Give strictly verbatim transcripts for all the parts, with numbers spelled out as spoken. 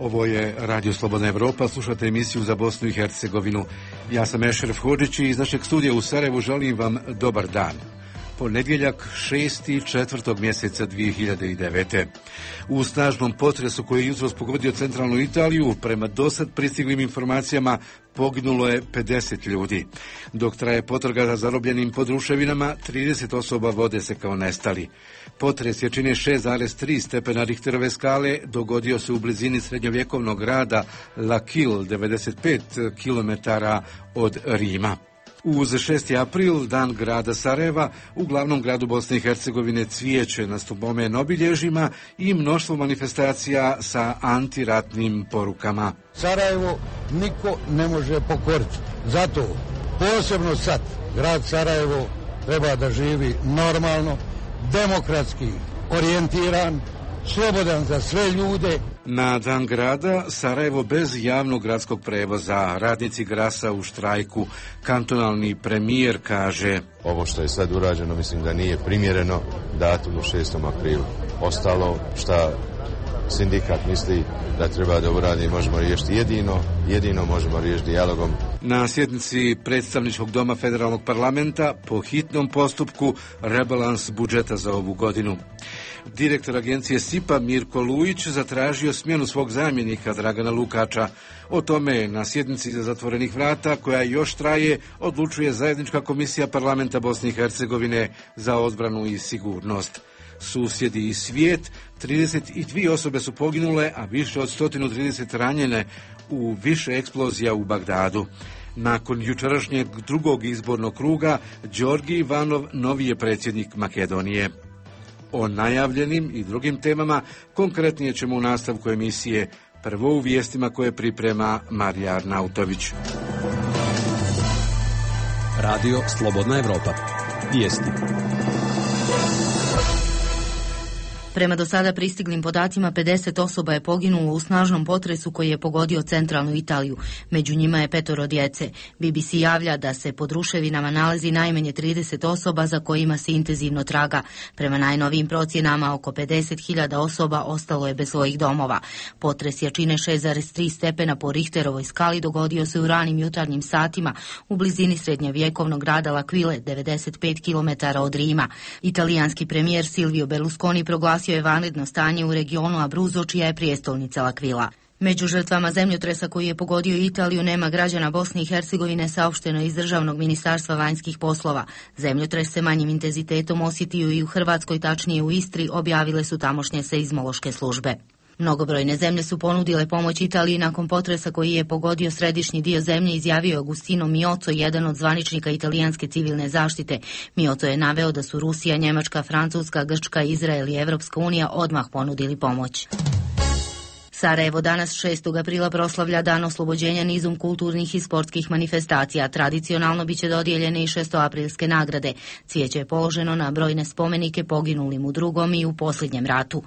Ovo je Radio Slobodna Evropa, slušate emisiju za Bosnu i Hercegovinu. Ja sam Ešref Hodžić i iz našeg studija u Sarajevu želim vam dobar dan. Ponedjeljak šesti četvrtog mjeseca dvije hiljade devete. U snažnom potresu koji je jutros pogodio centralnu Italiju, prema dosad pristiglim informacijama, poginulo je pedeset ljudi. Dok traje potraga za zarobljenim pod ruševinama, trideset osoba vode se kao nestali. Potres jačine šest zarez tri stepena Richterove skale dogodio se u blizini srednjovjekovnog grada L'Aquile, devedeset pet kilometara od Rima. Uz šesti april, dan grada Sarajeva, u glavnom gradu Bosne i Hercegovine cvijeće na spomen obilježjima i mnoštvo manifestacija sa antiratnim porukama. Sarajevo niko ne može pokoriti. Zato posebno sad grad Sarajevo treba da živi normalno, demokratski orijentiran, slobodan za sve ljude. Na dan grada Sarajevo bez javnog gradskog prevoza, radnici Grasa u štrajku, kantonalni premijer kaže: ovo što je sad urađeno mislim da nije primjereno datumu šestom aprilu. Ostalo šta sindikat misli da treba da uradi možemo riješiti jedino, jedino možemo riješiti dijalogom. Na sjednici predstavničkog doma federalnog parlamenta po hitnom postupku rebalans budžeta za ovu godinu. Direktor agencije S I P A Mirko Lujić zatražio smjenu svog zamjenika Dragana Lukača. O tome na sjednici iza zatvorenih vrata, koja još traje, odlučuje zajednička komisija parlamenta Bosne i Hercegovine za odbranu i sigurnost. Susjedi i svijet, trideset dvije osobe su poginule, a više od sto trideset ranjene u više eksplozija u Bagdadu. Nakon jučerašnjeg drugog izbornog kruga, Đorgi Ivanov novi je predsjednik Makedonije. O najavljenim i drugim temama konkretnije ćemo u nastavku emisije, prvo u vijestima koje priprema Marija Arnautović. Radio Slobodna Evropa. Vijesti. Prema do sada pristiglim podacima, pedeset osoba je poginulo u snažnom potresu koji je pogodio centralnu Italiju. Među njima je petoro djece. B B C javlja da se pod ruševinama nalazi najmanje trideset osoba za kojima se intenzivno traga. Prema najnovijim procjenama, oko pedeset hiljada osoba ostalo je bez svojih domova. Potres jačine šest zarez tri stepena po Richterovoj skali dogodio se u ranim jutarnjim satima u blizini srednjovjekovnog grada L'Aquile, devedeset pet kilometara od Rima. Italijanski premijer Silvio Berlusconi proglasio je vanredno stanje u regionu Abruzzo, čija je prijestolnica L'Aquila. Među žrtvama zemljotresa koji je pogodio Italiju nema građana Bosne i Hercegovine, saopšteno iz Državnog ministarstva vanjskih poslova. Zemljotres se manjim intenzitetom osjetio i u Hrvatskoj, tačnije u Istri, objavile su tamošnje seizmološke službe. Mnogobrojne zemlje su ponudile pomoć Italiji nakon potresa koji je pogodio središnji dio zemlje, izjavio Agustino Miozzo, jedan od zvaničnika italijanske civilne zaštite. Miozzo je naveo da su Rusija, Njemačka, Francuska, Grčka, Izrael i Evropska unija odmah ponudili pomoć. Sarajevo danas šestog aprila proslavlja dan oslobođenja nizom kulturnih i sportskih manifestacija. Tradicionalno biće dodijeljene i šestoaprilske nagrade. Cvijeće je položeno na brojne spomenike poginulim u drugom i u posljednjem ratu.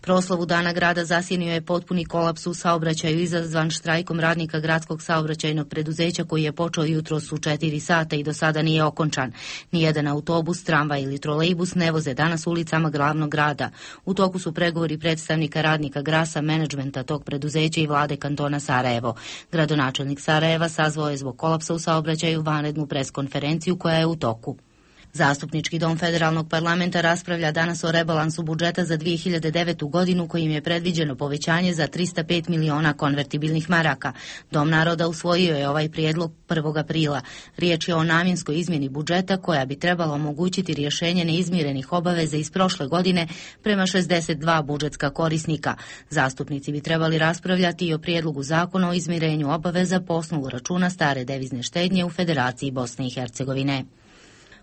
Proslavu dana grada zasjenio je potpuni kolaps u saobraćaju izazvan štrajkom radnika gradskog saobraćajnog preduzeća koji je počeo jutros u četiri sata i do sada nije okončan. Nijedan autobus, tramvaj ili trolejbus ne voze danas ulicama glavnog grada. U toku su pregovori predstavnika radnika Grasa, menadžmenta tog preduzeća i vlade kantona Sarajevo. Gradonačelnik Sarajeva sazvao je zbog kolapsa u saobraćaju vanrednu preskonferenciju koja je u toku. Zastupnički dom federalnog parlamenta raspravlja danas o rebalansu budžeta za dvije hiljade devetu godinu kojim je predviđeno povećanje za trista pet miliona konvertibilnih maraka. Dom naroda usvojio je ovaj prijedlog prvog aprila. Riječ je o namjenskoj izmjeni budžeta koja bi trebala omogućiti rješenje neizmirenih obaveza iz prošle godine prema šezdeset dva budžetska korisnika. Zastupnici bi trebali raspravljati i o prijedlogu zakona o izmirenju obaveza po osnovu računa stare devizne štednje u Federaciji Bosne i Hercegovine.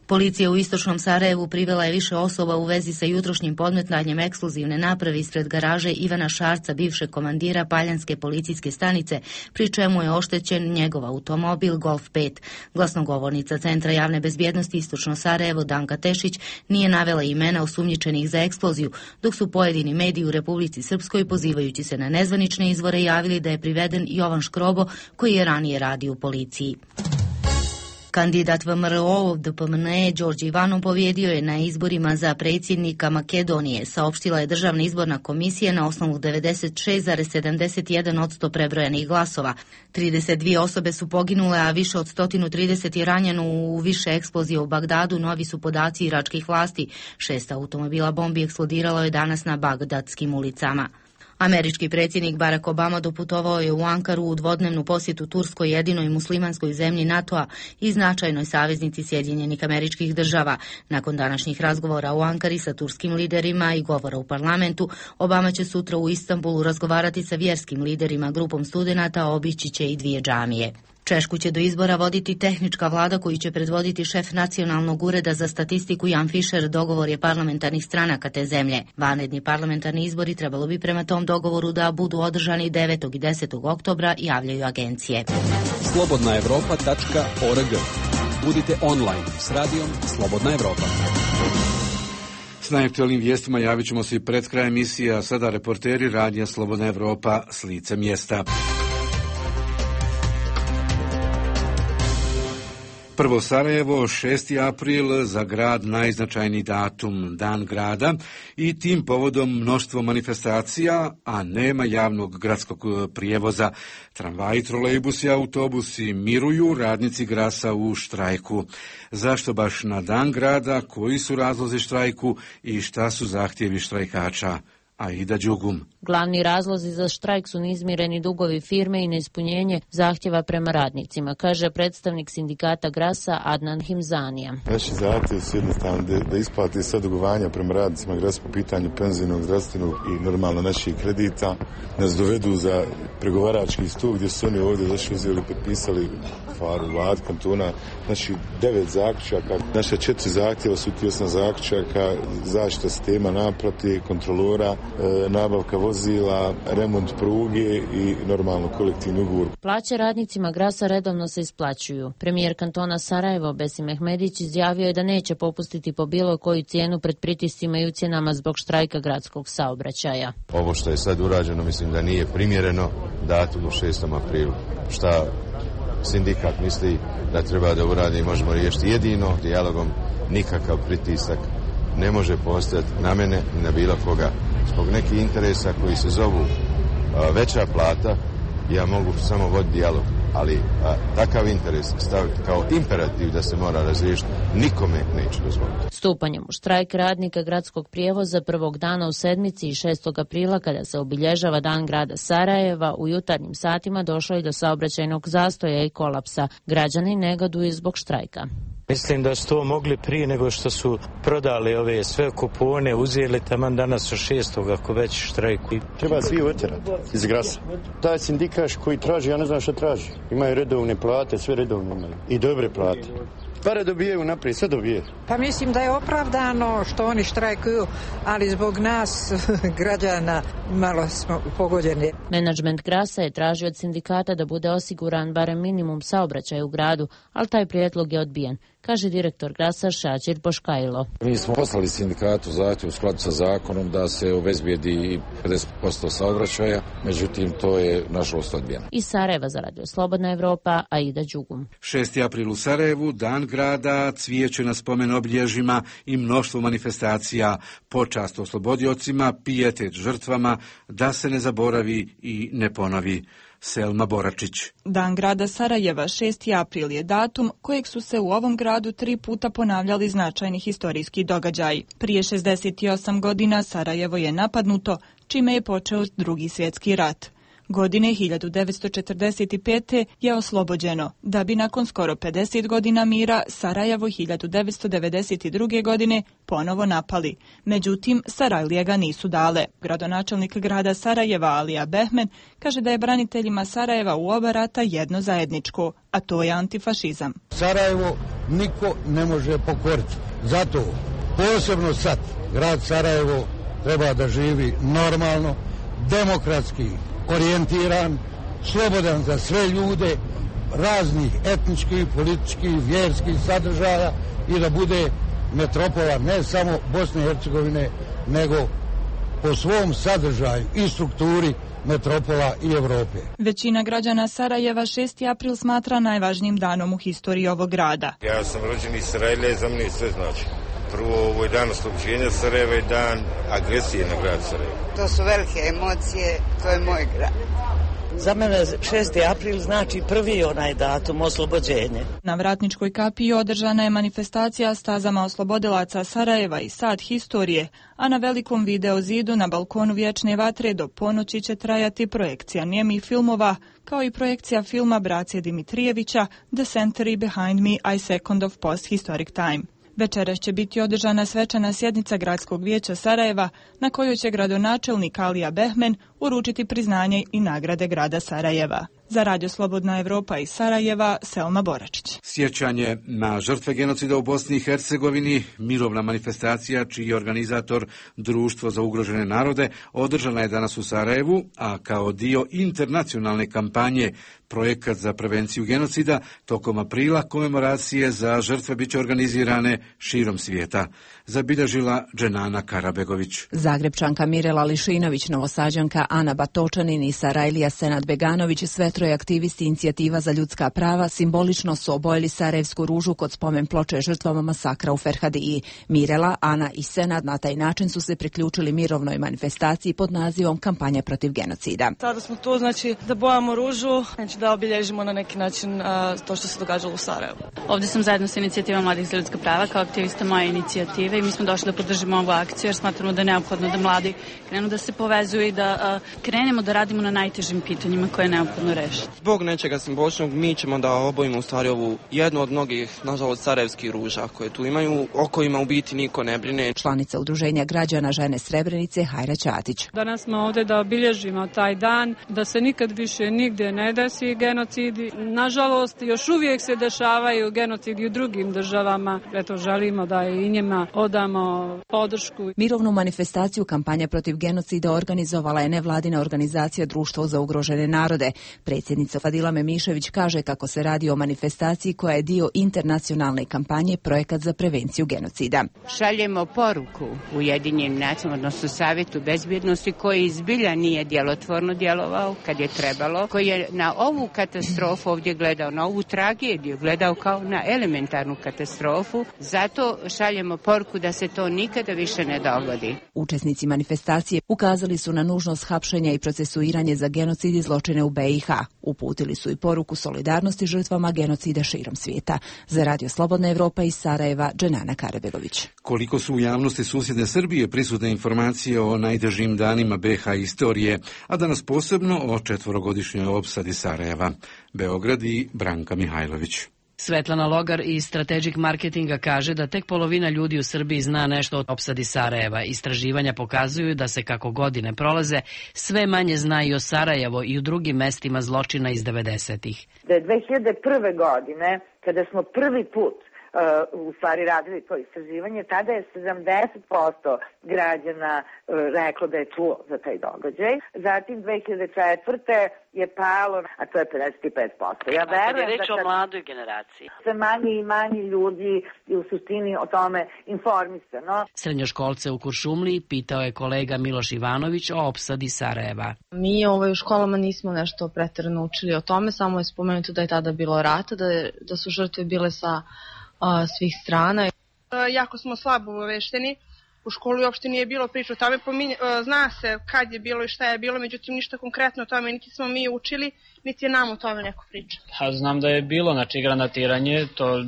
Policija u istočnom Sarajevu privela je više osoba u vezi sa jutrošnjim podmetanjem eksplozivne naprave ispred garaže Ivana Šarca, bivšeg komandira Paljanske policijske stanice, pri čemu je oštećen njegov automobil Golf pet. Glasnogovornica Centra javne bezbjednosti Istočno Sarajevo Danka Tešić nije navela imena osumnjičenih za eksploziju, dok su pojedini mediji u Republici Srpskoj, pozivajući se na nezvanične izvore, javili da je priveden Jovan Škrobo, koji je ranije radio u policiji. Kandidat V M R O D P M N E Đorđe Ivanov pobjedio je na izborima za predsjednika Makedonije, saopštila je Državna izborna komisija na osnovu devedeset šest zarez sedamdeset jedan posto prebrojanih glasova. trideset dvije osobe su poginule, a više od sto trideset je ranjeno u više eksplozija u Bagdadu, novi su podaci iračkih vlasti. Šest automobila bombi eksplodiralo je danas na bagdadskim ulicama. Američki predsjednik Barack Obama doputovao je u Ankaru u dvodnevnu posjetu Turskoj, jedinoj muslimanskoj zemlji NATO-a i značajnoj saveznici Sjedinjenih Američkih Država. Nakon današnjih razgovora u Ankari sa turskim liderima i govora u parlamentu, Obama će sutra u Istanbulu razgovarati sa vjerskim liderima, grupom studenata, obići će i dvije džamije. Češku će do izbora voditi tehnička vlada koju će predvoditi šef Nacionalnog ureda za statistiku Jan Fischer. Dogovor je parlamentarnih stranaka te zemlje. Vanredni parlamentarni izbori trebalo bi prema tom dogovoru da budu održani devetog i desetog oktobra, javljaju agencije. slobodna evropa tačka org. Budite online s radijom Slobodna Evropa. S najaktualnim vijestima javit ćemo se i pred kraj emisije, a sada reporteri radija Slobodna Evropa s lice mjesta. Prvo Sarajevo, šesti april, za grad najznačajniji datum, Dan grada, i tim povodom mnoštvo manifestacija, a nema javnog gradskog prijevoza. Tramvaji, trolejbusi i autobusi miruju, radnici Grasa u štrajku. Zašto baš na Dan grada, koji su razlozi štrajku i šta su zahtjevi štrajkača? Aida Đugum. Glavni razlozi za štrajk su neizmireni dugovi firme i neispunjenje zahtjeva prema radnicima, kaže predstavnik sindikata Grasa Adnan Himzanija. Naši zahtjevi su jednostavno da, da isplati sve dugovanja prema radnicima Grasa po pitanju penzijnog, zdravstvenog i normalno naših kredita, nas dovedu za pregovarački stup gdje su oni ovdje došli, uzeli, potpisali faru vlad kantona, znači devet zaključaka, naše četiri zahtjeva su ti osam zaključaka, zaštita sistema naplate, kontrolora, e, nabavka vozila, remont pruge i normalno kolektivni ugovor. Plaće radnicima Grasa redovno se isplaćuju. Premijer kantona Sarajevo Besim Mehmedić izjavio je da neće popustiti po bilo koju cijenu pred pritiscima i ucjenama zbog štrajka gradskog saobraćaja. Ovo što je sad urađeno mislim da nije primjereno datumu šestom aprilu. Šta sindikat misli da treba da uradi, možemo riješiti jedino dijalogom, nikakav pritisak ne može postojati na mene i na bilo koga. Zbog nekih interesa koji se zovu a, veća plata, ja mogu samo voditi dijalog, ali a, takav interes staviti kao imperativ da se mora razriješiti, nikome neće dozvoliti. Stupanjem u štrajk radnika gradskog prijevoza prvog dana u sedmici i šestog aprila, kada se obilježava Dan grada Sarajeva, u jutarnjim satima došlo je do saobraćajnog zastoja i kolapsa. Građani negaduju zbog štrajka. Mislim da su to mogli prije nego što su prodali ove sve kupone, uzeli taman danas u šestog ako već štrajku. Treba svi otjerati iz Grasa. Taj sindikaš koji traži, ja ne znam što traži. Imaju redovne plate, sve redovne imaju. I dobre plate. Pare dobijaju naprijed, sve dobije. Pa mislim da je opravdano što oni štrajkuju, ali zbog nas, građana, malo smo pogođeni. Menadžment Grasa je tražio od sindikata da bude osiguran barem minimum saobraćaja u gradu, ali taj prijedlog je odbijen, kaže direktor Grasa Šačir Boškajlo. Mi smo poslali sindikatu zahtjev u skladu sa zakonom da se obezbijedi pedeset posto saobraćaja, međutim to je nažalost odbijeno. Iz Sarajeva za Radio Slobodna Evropa, Aida Đugum. šesti april u Sarajevu, Dan grada, cvijeće na spomen obilježjima i mnoštvo manifestacija, počast oslobodiocima, pijetet žrtvama, da se ne zaboravi i ne ponovi. Selma Boračić. Dan grada Sarajeva, šesti april, je datum kojeg su se u ovom gradu tri puta ponavljali značajni historijski događaji. Prije šezdeset osam godina Sarajevo je napadnuto, čime je počeo Drugi svjetski rat. Godine hiljadu devetsto četrdeset pete. je oslobođeno, da bi nakon skoro pedeset godina mira Sarajevo hiljadu devetsto devedeset druge. godine ponovo napali. Međutim, Sarajlije ga nisu dale. Gradonačelnik grada Sarajeva Alija Behmen kaže da je braniteljima Sarajeva u oba rata jedno zajedničko, a to je antifašizam. Sarajevo niko ne može pokoriti. Zato posebno sad grad Sarajevo treba da živi normalno, demokratski orijentiran, slobodan za sve ljude, raznih etničkih, političkih, vjerskih sadržaja i da bude metropola ne samo Bosne i Hercegovine, nego po svom sadržaju i strukturi metropola i Evrope. Većina građana Sarajeva šesti april smatra najvažnijim danom u historiji ovog grada. Ja sam rođen iz Sarajeva i za mene sve znači. Prvo, ovo je dan oslobođenja Sarajeva i dan agresije na grad Sarajevo. To su velike emocije, to je moj grad. Za mene šesti april znači prvi onaj datum oslobođenja. Na Vratničkoj kapiji održana je manifestacija stazama oslobodilaca Sarajeva i sat historije, a na velikom video zidu na balkonu Vječne vatre do ponoći će trajati projekcija nijemih filmova, kao i projekcija filma Braće Dimitrijevića The Century Behind Me, I Second of Post-Historic Time. Večeras će biti održana svečana sjednica Gradskog vijeća Sarajeva, na kojoj će gradonačelnik Alija Behmen uručiti priznanje i nagrade grada Sarajeva. Za Radio Slobodna Evropa iz Sarajeva, Selma Boračić. Sjećanje na žrtve genocida u Bosni i Hercegovini, mirovna manifestacija čiji je organizator Društvo za ugrožene narode, održana je danas u Sarajevu, a kao dio internacionalne kampanje Projekat za prevenciju genocida, tokom aprila komemoracije za žrtve biće organizirane širom svijeta. Zabilježila Dženana Karabegović. Zagrebčanka Mirela Lišinović, Novosađanka Ana Batočanin i Sarajlija Senad Beganović, sve troje aktivisti Inicijativa za ljudska prava, simbolično su obojili sarajevsku ružu kod spomen ploče žrtvama masakra u Ferhadiji. Mirela, Ana i Senad na taj način su se priključili mirovnoj manifestaciji pod nazivom Kampanja protiv genocida. Sada smo tu, znači, da bojamo ružu, znači da obilježimo na neki način a, to što se događalo u Sarajevu. Ovdje sam zajedno sa Inicijativom mladih za ljudska prava kao aktivista moje inicijative i mi smo došli da podržimo ovu akciju jer smatramo da je neophodno da mladi krenu da se povezuju i da a, krenemo da radimo na najtežim pitanjima koje je neophodno rešiti. Zbog nečega simboličnog mi ćemo da obojimo u stvari ovu jednu od mnogih, nažalost, sarajevskih ruža koje tu imaju, o kojima u biti niko ne brine. Članica Udruženja građana Žene Srebrenice Hajra Ćatić. Danas smo ovdje da obilježimo taj dan, da se nikad više nigdje ne desi genocidi. Nažalost, još uvijek se dešavaju genocidi u drugim državama. Eto, želimo da i njima odamo podršku. Mirovnu manifestaciju Kampanja protiv genocida organizovala je nevladina organizacija Društvo za ugrožene narode. Predsjednica Fadila Memišević kaže kako se radi o manifestaciji koja je dio internacionalne kampanje Projekat za prevenciju genocida. Šaljemo poruku Ujedinjenim nacijama, odnosno Savjetu bezbjednosti, koji izbilja nije djelotvorno djelovao kad je trebalo, koji je na ovu katastrofu ovdje gledao, na ovu tragediju gledao kao na elementarnu katastrofu. Zato šaljemo poruku da se to nikada više ne dogodi. Učesnici manifestacije ukazali su na nužnost hapšenja i procesuiranje za genocid i zločine u B i H. Uputili su i poruku solidarnosti žrtvama genocida širom svijeta. Za Radio Slobodna Evropa iz Sarajeva, Dženana Karabegović. Koliko su u javnosti susjedne Srbije prisutne informacije o najtežim danima B i H istorije, a danas posebno o četvorogodišnjoj opsadi Sarajeva. Beograd i Branka Mihajlović. Svetlana Logar iz Strategic Marketinga kaže da tek polovina ljudi u Srbiji zna nešto o opsadi Sarajeva. Istraživanja pokazuju da se kako godine prolaze, sve manje zna i o Sarajevo i u drugim mestima zločina iz devedesetih. Da je dve hiljade prve. godine, kada smo prvi put Uh, u stvari radili to istraživanje, tada je sedamdeset posto građana uh, reklo da je čuo za taj događaj. Zatim dve hiljade četvrte. je palo, a to je pedeset pet posto. Ja verujem, kad je reč da o mladoj generaciji. Sve manje i manje ljudi je u suštini o tome informisano. Srednjoškolce u Kuršumliji pitao je kolega Miloš Ivanović o opsadi Sarajeva. Mi ovaj, u školama nismo nešto pretjerano učili o tome, samo je spomenuto da je tada bilo rata, da, je, da su žrtve bile sa a, svih strana. Jako smo slabo obavešteni. U školi uopšte nije bilo priča o tome, pominje, zna se kad je bilo i šta je bilo, međutim ništa konkretno o tome, niti smo mi učili, niti je nam o tome neko priča. Pa, znam da je bilo, znači granatiranje, to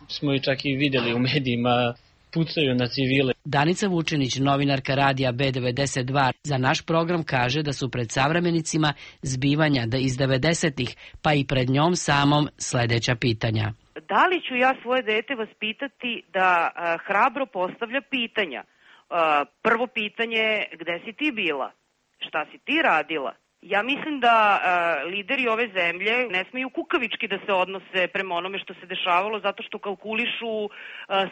smo i čak i vidjeli u medijima, pucaju na civile. Danica Vučinić, novinarka radija B devedeset dva, za naš program kaže da su pred savremenicima zbivanja da iz devedesetih, pa i pred njom samom sledeća pitanja. Da li ću ja svoje dete vaspitati da a, hrabro postavlja pitanja? A, prvo pitanje je gde si ti bila? Šta si ti radila? Ja mislim da a, lideri ove zemlje ne smeju kukavički da se odnose prema onome što se dešavalo zato što kalkulišu a,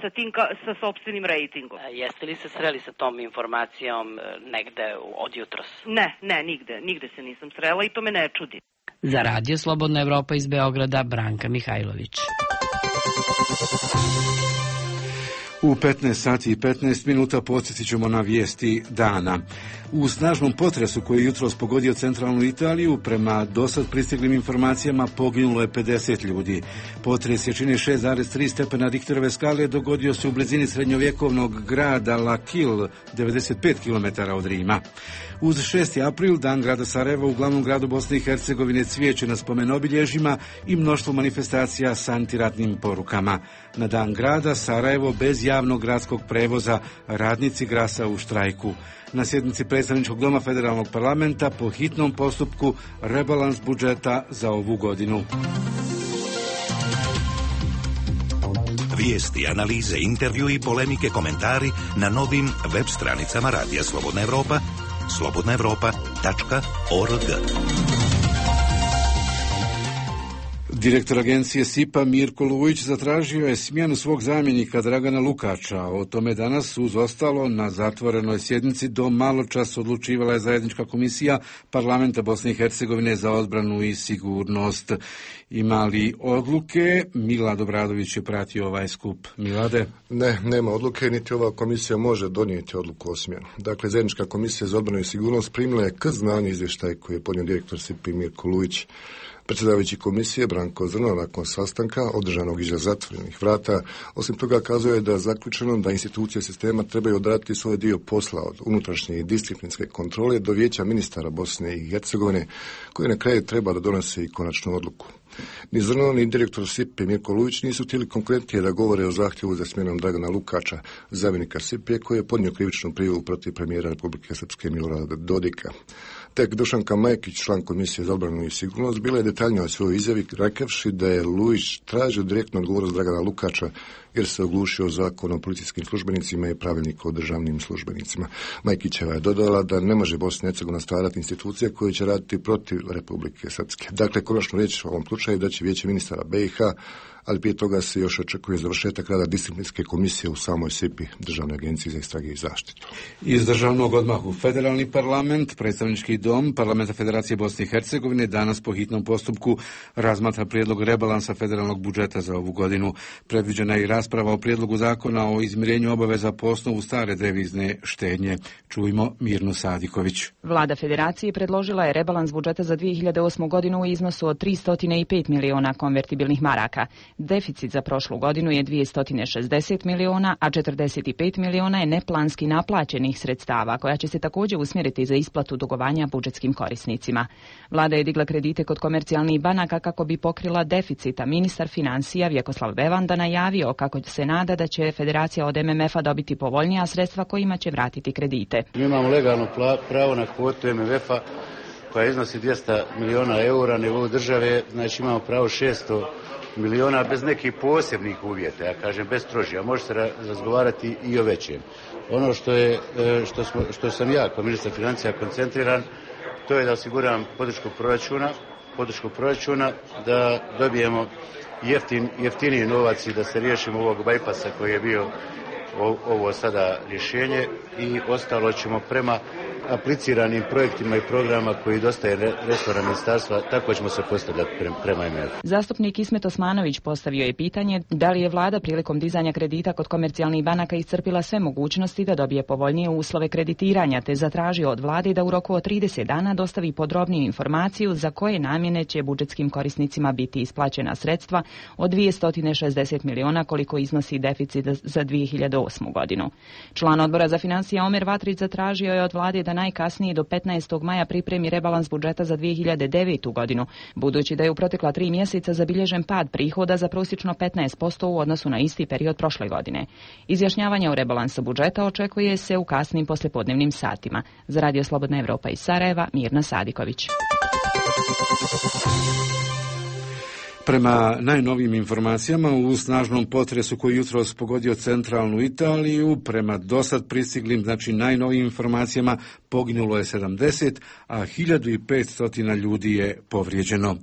sa, tim, ka, sa sopstvenim rejtingom. A jeste li se sreli sa tom informacijom negde od jutros? Ne, ne, nigde. Nigde se nisam srela i to me ne čudi. Za Radio Slobodna Evropa iz Beograda, Branka Mihajlović. U petnaest sati i petnaest minuta podsjetit ćemo na vijesti dana. U snažnom potresu koji je jutros pogodio centralnu Italiju, prema dosad pristiglim informacijama poginulo je pedeset ljudi. Potres jačine šest zarez tri stepena Richterove skale dogodio se u blizini srednjovjekovnog grada L'Aquile, devedeset pet kilometara od Rima. Uz šesti april, dan grada Sarajeva, u glavnom gradu Bosne i Hercegovine cvijeće na spomen obilježjima i mnoštvo manifestacija s antiratnim porukama. Na dan grada Sarajevo bez javnog gradskog prevoza, radnici Grasa u štrajku. Na sjednici predstavničkog doma Federalnog parlamenta po hitnom postupku rebalans budžeta za ovu godinu. Vijesti, analize, intervju i polemike, komentari na novim web stranicama Radija Slobodna Evropa, slobodna evropa tačka org. Direktor agencije S I P-a Mirko Lujić zatražio je smjenu svog zamjenika Dragana Lukača. O tome danas uz ostalo na zatvorenoj sjednici do maločas odlučivala je zajednička komisija Parlamenta Bosne i Hercegovine za odbranu i sigurnost. Ima li odluke? Milad Obradović je pratio ovaj skup. Milade? Ne, nema odluke, niti ova komisija može donijeti odluku o smjenu. Dakle, zajednička komisija za odbranu i sigurnost primila je k znanju izvještaj koji je podnio direktor S I P-a Mirko Lujić. Predsjedavajući komisije Branko Zrno nakon sastanka održanog iza zatvorenih vrata, osim toga kazuje da je zaključeno da institucije sistema trebaju odraditi svoj dio posla od unutrašnje i disciplinske kontrole do vijeća ministara Bosne i Hercegovine, koji na kraju treba da donose i konačnu odluku. Ni Zrno, ni direktor S I P-a Mirko Lujić nisu htjeli konkretnije da govore o zahtjevu za smjenom Dragana Lukača, zamjenika S I P-a koji je podnio krivičnu prijavu protiv premijera Republike Srpske Milorada Dodika. Tek Dušanka Majkić, član komisije za odbranu i sigurnost, bila je detaljnija o svojoj izjavi rekavši da je Lujić tražio direktnu odgovornost Dragana Lukača jer se oglušio zakon o policijskim službenicima i pravilnik o državnim službenicima. Majkićeva je dodala da ne može Bosna i Hercegovina stvarati institucije koje će raditi protiv Republike Srpske. Dakle, konačno riječ o ovom slučaju da će vijeće ministara B i H, ali prije toga se još očekuje završetak rada disciplinske komisije u samoj S I P-i, Državnoj agenciji za istrage i zaštitu. Iz državnog odmah u Federalni parlament, predstavnički dom Parlamenta Federacije Bosne i Hercegovine danas po hitnom postupku razmatra prijedlog rebalansa federalnog budžeta za ovu godinu. Predviđena je i rasprava o prijedlogu zakona o izmirenju obaveza po osnovu stare devizne štednje. Čujmo Mirnu Sadiković. Vlada Federacije predložila je rebalans budžeta za dvije hiljade osmu godinu u iznosu od tristo pet miliona konvertibilnih maraka. Deficit za prošlu godinu je dvjesto šezdeset miliona, a četrdeset pet miliona je neplanski naplaćenih sredstava, koja će se također usmjeriti za isplatu dugovanja budžetskim korisnicima. Vlada je digla kredite kod komercijalnih banaka kako bi pokrila deficit, a ministar financija Vjekoslav Bevanda najavio kako se nada da će Federacija od M M F-a dobiti povoljnija sredstva kojima će vratiti kredite. Mi imamo legalno pravo na kvotu M M F-a koja iznosi dvjesto miliona eura na nivou države, znači imamo pravo šesto miliona bez nekih posebnih uvjeta, ja kažem bez strožija, može se razgovarati i o većem. Ono što, je, što, smo, što sam ja kao ministar financija koncentriran, to je da osiguram podršku proračuna, podršku proračuna, da dobijemo jeftin, jeftiniji novac i da se riješimo ovog bajpasa koji je bio ovo sada rješenje i ostalo ćemo prema apliciranim projektima i programa koji dostaje resora ministarstva, tako ćemo se postavljati prema M M F. Zastupnik Ismet Osmanović postavio je pitanje da li je vlada prilikom dizanja kredita kod komercijalnih banaka iscrpila sve mogućnosti da dobije povoljnije uslove kreditiranja, te zatražio od vlade da u roku od trideset dana dostavi podrobniju informaciju za koje namjene će budžetskim korisnicima biti isplaćena sredstva od dvjesto šezdeset miliona koliko iznosi deficit za dvije hiljade osmu godinu. Član odbora za financije Omer Vatrić zatražio je od vlade da najkasnije do petnaestog maja pripremi rebalans budžeta za dvije hiljade devetu godinu, budući da je u protekla tri mjeseca zabilježen pad prihoda za prosječno petnaest posto u odnosu na isti period prošle godine. Izjašnjavanje o rebalansu budžeta očekuje se u kasnim poslijepodnevnim satima. Za Radio Slobodna Evropa iz Sarajeva, Mirna Sadiković. Prema najnovijim informacijama, u snažnom potresu koji jutros pogodio centralnu Italiju, prema dosad pristiglim, znači najnovijim informacijama, poginulo je sedamdeset, a hiljadu petsto ljudi je povrijeđeno.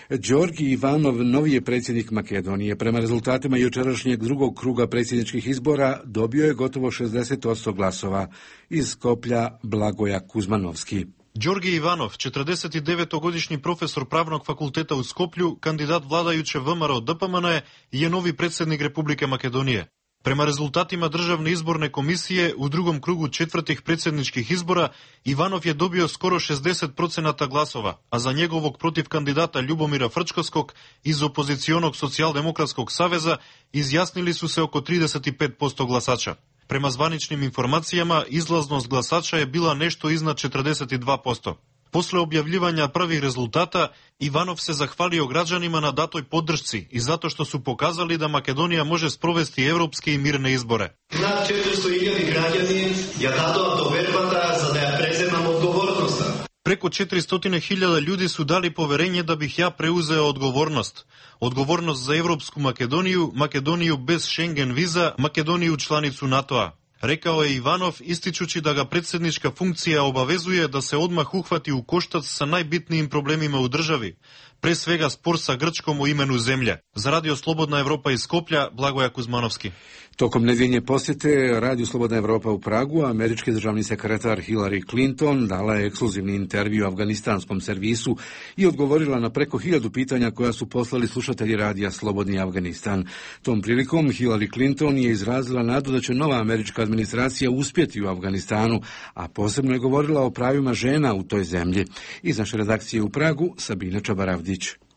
Đorgi Ivanov, novi je predsjednik Makedonije. Prema rezultatima jučerašnjeg drugog kruga predsjedničkih izbora dobio je gotovo šezdeset posto glasova. Iz Skoplja Blagoja Kuzmanovski. Đorgi Ivanov, četrdesetdevetogodišnji profesor Pravnog fakulteta u Skoplju, kandidat vladajuće V M R O D P M N, je novi predsjednik Republike Makedonije. Prema rezultatima Državne izborne komisije u drugom krugu četvrtih predsjedničkih izbora Ivanov je dobio skoro šezdeset procenata glasova, a za njegovog protiv kandidata Ljubomira Frčkovskog iz opozicionog socijaldemokratskog saveza izjasnili su se oko trideset pet posto glasača. Prema zvaničnim informacijama izlaznost glasača je bila nešto iznad četrdeset dva posto. Posle objavljivanja prvih rezultata, Ivanov se zahvalio građanima na datoj podršci i zato što su pokazali da Makedonija može sprovesti evropske i mirne izbore. Nад četiristo hiljada građani ja dado doverбата за да ја преземам одговорноста. Preko četiristo hiljada ljudi su dali poverenje da bih ja preuzeo odgovornost. Odgovornost za Evropsku Makedoniju, Makedoniju bez Schengen viza, Makedoniju članicu NATO-a. Rekao je Ivanov, ističući da ga predsjednička funkcija obavezuje da se odmah uhvati u koštac sa najbitnijim problemima u državi, pre svega spor sa Grčkom o imenu zemlje. Za Radio Slobodna Evropa iz Skoplja, Blagoja Kuzmanovski. Tokom nedjeljne posjete Radio Slobodna Evropa u Pragu, američki državni sekretar Hillary Clinton dala je ekskluzivni intervju afganistanskom servisu i odgovorila na preko hiljadu pitanja koja su poslali slušatelji radija Slobodni Afganistan. Tom prilikom Hillary Clinton je izrazila nadu da će nova američka administracija uspjeti u Afganistanu, a posebno je govorila o pravima žena u toj zemlji. Iz naše redakcije u Pragu, Sabina Čabaravdić.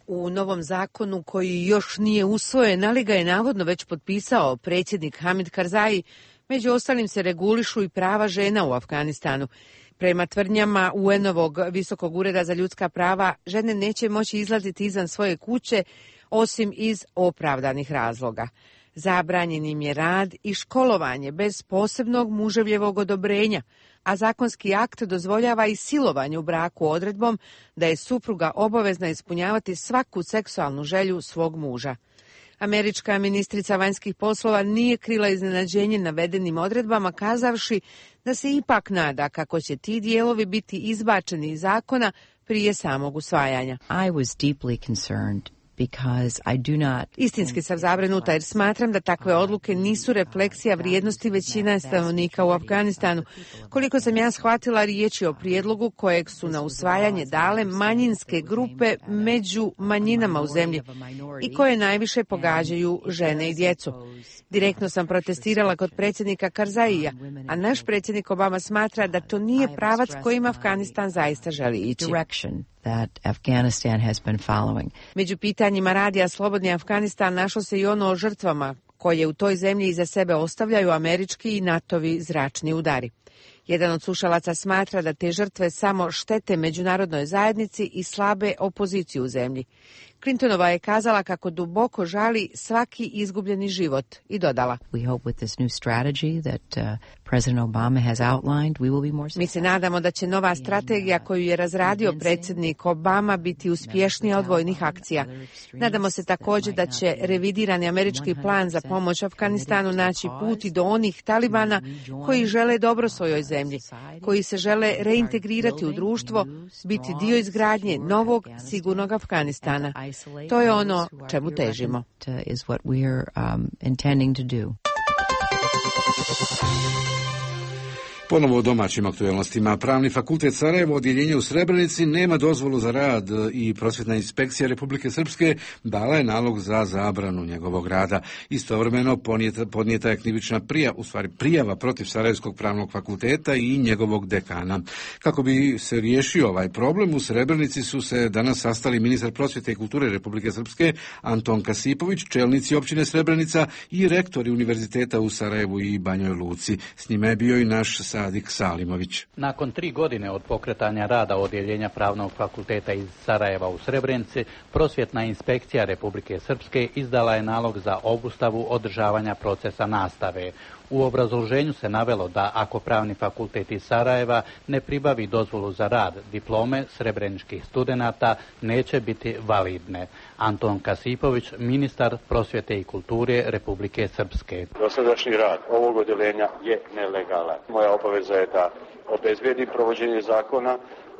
U novom zakonu koji još nije usvojen, ali ga je navodno već potpisao predsjednik Hamid Karzai, među ostalim se regulišu i prava žena u Afganistanu. Prema tvrdnjama U N-ovog Visokog ureda za ljudska prava, žene neće moći izlaziti izvan svoje kuće osim iz opravdanih razloga. Zabranjen im je rad i školovanje bez posebnog muževljevog odobrenja, a zakonski akt dozvoljava i silovanje u braku odredbom da je supruga obavezna ispunjavati svaku seksualnu želju svog muža. Američka ministrica vanjskih poslova nije krila iznenađenje navedenim odredbama, kazavši da se ipak nada kako će ti dijelovi biti izbačeni iz zakona prije samog usvajanja. I was deeply concerned. Because I do not... Istinski sam zabrinuta jer smatram da takve odluke nisu refleksija vrijednosti većine stanovnika u Afganistanu. Koliko sam ja shvatila, riječ je o prijedlogu kojeg su na usvajanje dale manjinske grupe među manjinama u zemlji i koje najviše pogađaju žene i djecu. Direktno sam protestirala kod predsjednika Karzaija, a naš predsjednik Obama smatra da to nije pravac kojim Afganistan zaista želi ići. That Afghanistan has been following. Među pitanjima radija Slobodni Afganistan našlo se i ono o žrtvama koje u toj zemlji iza sebe ostavljaju američki i NATO-vi zračni udari. Jedan od slušalaca smatra da te žrtve samo štete međunarodnoj zajednici i slabe opoziciju u zemlji. Clintonova je kazala kako duboko žali svaki izgubljeni život i dodala: We hope with this new strategy that uh, President Obama has outlined, we will be more successful. Mi se nadamo da će nova strategija koju je razradio predsjednik Obama biti uspješnija od vojnih akcija. Nadamo se također da će revidirani američki plan za pomoć Afganistanu naći put i do onih talibana koji žele dobro svojoj zemlji, koji se žele reintegrirati u društvo, biti dio izgradnje novog, sigurnog Afganistana. To je ono čemu težimo. Ponovo o domaćim aktualnostima. Pravni fakultet Sarajevo, odjeljenje u Srebrenici, nema dozvolu za rad i prosvjetna inspekcija Republike Srpske dala je nalog za zabranu njegovog rada. Istovremeno podnijeta, podnijeta je krivična prijava, u stvari prijava protiv Sarajevskog pravnog fakulteta i njegovog dekana. Kako bi se riješio ovaj problem, u Srebrenici su se danas sastali ministar prosvjete i kulture Republike Srpske Anton Kasipović, čelnici općine Srebrenica i rektori univerziteta u Sarajevu i Banjoj Luci. S njima je bio i naš Sadik Salimović. Nakon tri godine od pokretanja rada odjeljenja Pravnog fakulteta iz Sarajeva u Srebrenici, prosvjetna inspekcija Republike Srpske izdala je nalog za obustavu održavanja procesa nastave. U obrazloženju se navelo da ako Pravni fakultet iz Sarajeva ne pribavi dozvolu za rad, diplome srebreničkih studenata neće biti validne. Anton Kasipović, ministar prosvjete i kulture Republike Srpske. Dosadašnji rad ovog odjeljenja je nelegalan. Moja obaveza je da obezbedim provođenje zakona.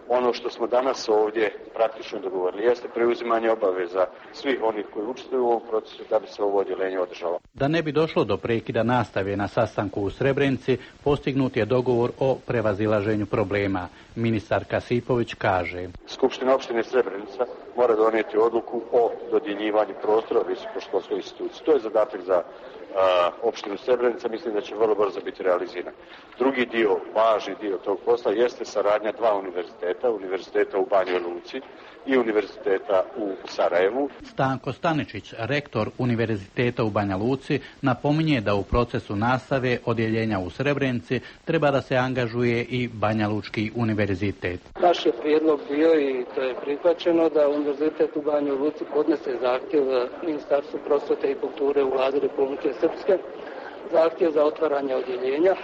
Ono što smo danas ovdje praktično dogovorili jeste preuzimanje obaveza svih onih koji učestvuju u ovom procesu da bi se ovo odjeljenje održalo. Da ne bi došlo do prekida nastave na sastanku u Srebrenici, postignut je dogovor o prevazilaženju problema. Ministar Kasipović kaže: Skupština opštine Srebrenica mora donijeti odluku o dodjeljivanju prostora visokoškolskoj instituciji. To je zadatak za opštinu Srebrenica, mislim da će vrlo brzo biti realiziran. Drugi dio, važni dio tog posla jeste saradnja dva univerziteta, univerziteta u Banjoj Luci i univerziteta u Sarajevu. Stanko Staničić, rektor univerziteta u Banja Luci, napominje da u procesu nastave odjeljenja u Srebrenici treba da se angažuje i Banja Lučki univerzitet. Naš je prijedlog bio i to je prihvaćeno da univerzitet u Banjoj Luci podnese zahtjev Ministarstvu prosvete i kulture u Vladi Republike Srpske, zahtjev za otvaranje odjeljenja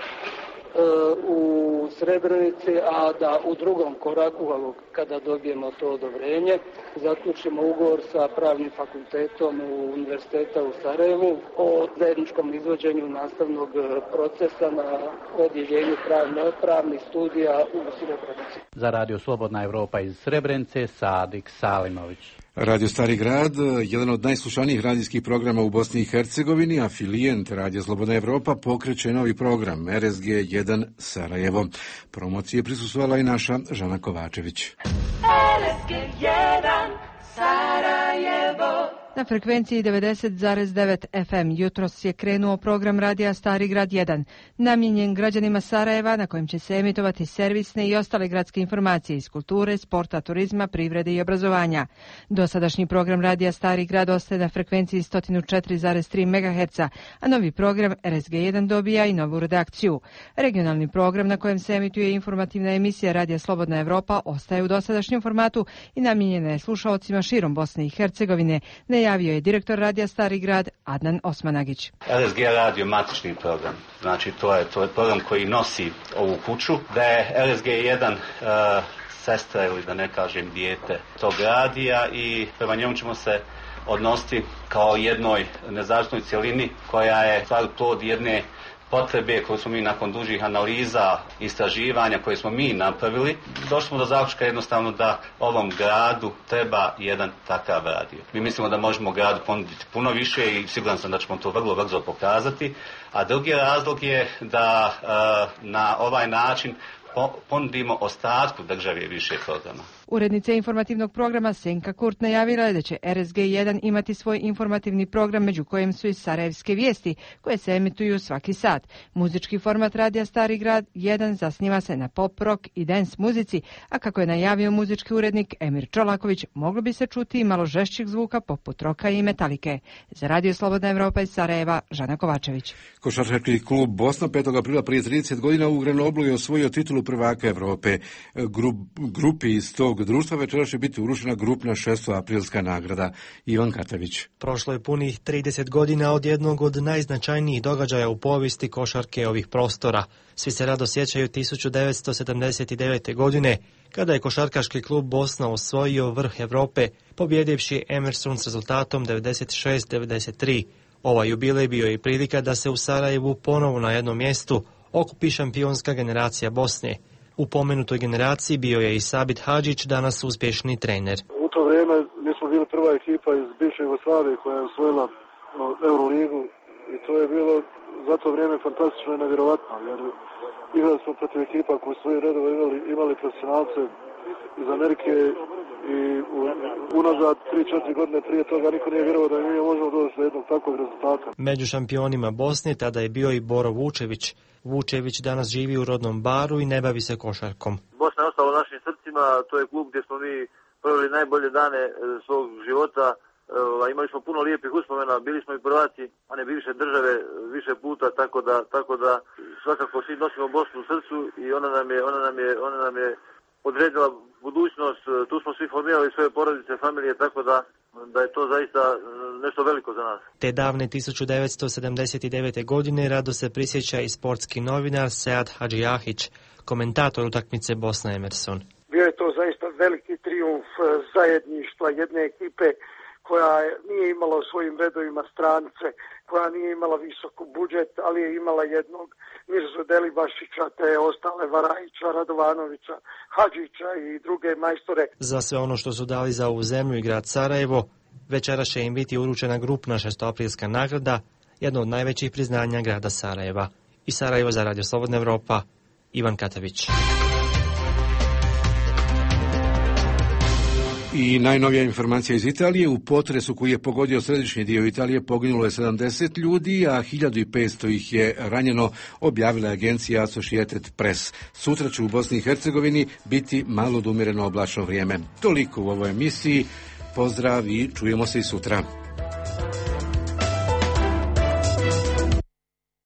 u Srebrenici, a da u drugom koraku, kada dobijemo to odobrenje, zaključimo ugovor sa pravnim fakultetom Univerziteta u Sarajevu o zajedničkom izvođenju nastavnog procesa na odjeljenju pravnih studija u Srebrenici. Za Radio Slobodna Evropa iz Srebrenice, Sadik Salimović. Radio Stari grad, jedan od najslušanijih radijskih programa u Bosni i Hercegovini, afilijent Radio Slobodna Evropa pokreće novi program R S G jedan Sarajevo. Promocije prisustvovala i naša Žana Kovačević. R S G jedan Sarajevo. Na frekvenciji devedeset zarez devet F M jutros je krenuo program radija Stari grad jedan, namijenjen građanima Sarajeva, na kojem će se emitovati servisne i ostale gradske informacije iz kulture, sporta, turizma, privrede i obrazovanja. Dosadašnji program radija Stari grad ostaje na frekvenciji sto četiri zarez tri megaherca, a novi program R S G jedan dobija i novu redakciju. Regionalni program na kojem se emituje informativna emisija Radija Slobodna Evropa ostaje u dosadašnjem formatu i namijenjena je slušaocima širom Bosne i Hercegovine, najavio je direktor radija Stari grad Adnan Osmanagić. R S G radio matični program, znači to je, to je program koji nosi ovu kuću, da je R S G jedan uh, sestra ili da ne kažem dijete tog radija i prema njemu ćemo se odnositi kao jednoj nezavisnoj cjelini koja je stvar plod jedne potrebe koje smo mi nakon dužih analiza, istraživanja koje smo mi napravili, došli smo do zaključka jednostavno da ovom gradu treba jedan takav radio. Mi mislimo da možemo gradu ponuditi puno više i siguran sam da ćemo to vrlo brzo pokazati. A drugi razlog je da uh, na ovaj način ponudimo ostatku države više programa. Urednica informativnog programa Senka Kurt najavila je da će R S G jedan imati svoj informativni program, među kojim su i sarajevske vijesti, koje se emituju svaki sat. Muzički format radija Stari grad jedan zasniva se na pop, rock i dance muzici, a kako je najavio muzički urednik Emir Čolaković, moglo bi se čuti i malo žešćih zvuka poput roka i metalike. Za Radio Slobodna Evropa iz Sarajeva, Žana Kovačević. Košarkaški klub Bosna petog aprila prije trideset godina u Grenoblu je osvojio titulu prvaka Evrope. Grup, grupi iz tog društva večera će biti urušena grupna šestoaprilska nagrada. Ivan Katavić. Prošlo je punih trideset godina od jednog od najznačajnijih događaja u povijesti košarke ovih prostora. Svi se rado sjećaju tisuću devetsto sedamdeset devete. godine, kada je košarkaški klub Bosna osvojio vrh Evrope, pobjedivši Emerson s rezultatom devedeset šest devedeset tri. Ovaj jubilej bio je i prilika da se u Sarajevu ponovo na jednom mjestu okupi šampionska generacija Bosne. U pomenutoj generaciji bio je i Sabit Hadžić, danas uspješni trener. U to vrijeme mi smo bili prva ekipa iz bivše Jugoslavije koja je osvojila Euroligu i to je bilo za to vrijeme fantastično i nevjerovatno, jer igrali smo protiv ekipa koji svoje redove imali, imali profesionalce iz Amerike i u, unazad tri četiri godine prije toga niko nije vjerovao da mi možemo doći do jednog takvog rezultata. Među šampionima Bosne tada je bio i Boro Vučević. Vučević danas živi u rodnom Baru i ne bavi se košarkom. Bosna je ostala u našim srcima, to je klub gdje smo mi proveli najbolje dane svog života. Imali smo puno lijepih uspomena, bili smo i prvaci, a ne bivše države više puta, tako da, tako da svakako svi nosimo Bosnu u srcu i ona nam je, ona nam je, ona nam je odredila budućnost. Tu smo svi formirali svoje porodice, familije, tako da da je to zaista nešto veliko za nas. Te davne tisuću devetsto sedamdeset devete. godine rado se prisjeća i sportski novinar Sead Hadžijahić, komentator utakmice Bosna Emerson. Bio je to zaista veliki trijumf zajedništva jedne ekipe koja nije imala u svojim redovima strance, koja nije imala visoko budžet, ali je imala jednog Mirzu Delibašića, te ostale Varajića, Radovanovića, Hadžića i druge majstore. Za sve ono što su dali za ovu zemlju i grad Sarajevo, večera će im biti uručena grupna šestoaprilska nagrada, jedno od najvećih priznanja grada Sarajeva. I Sarajevo za Radio Slobodna Evropa, Ivan Katavić. I najnovija informacija iz Italije, u potresu koji je pogodio središnji dio Italije poginulo je sedamdeset ljudi, a hiljadu petsto ih je ranjeno, objavila je agencija Associated Press. Sutra će u Bosni i Hercegovini biti malo odumjereno oblačno vrijeme. Toliko u ovoj emisiji. Pozdrav i čujemo se i sutra.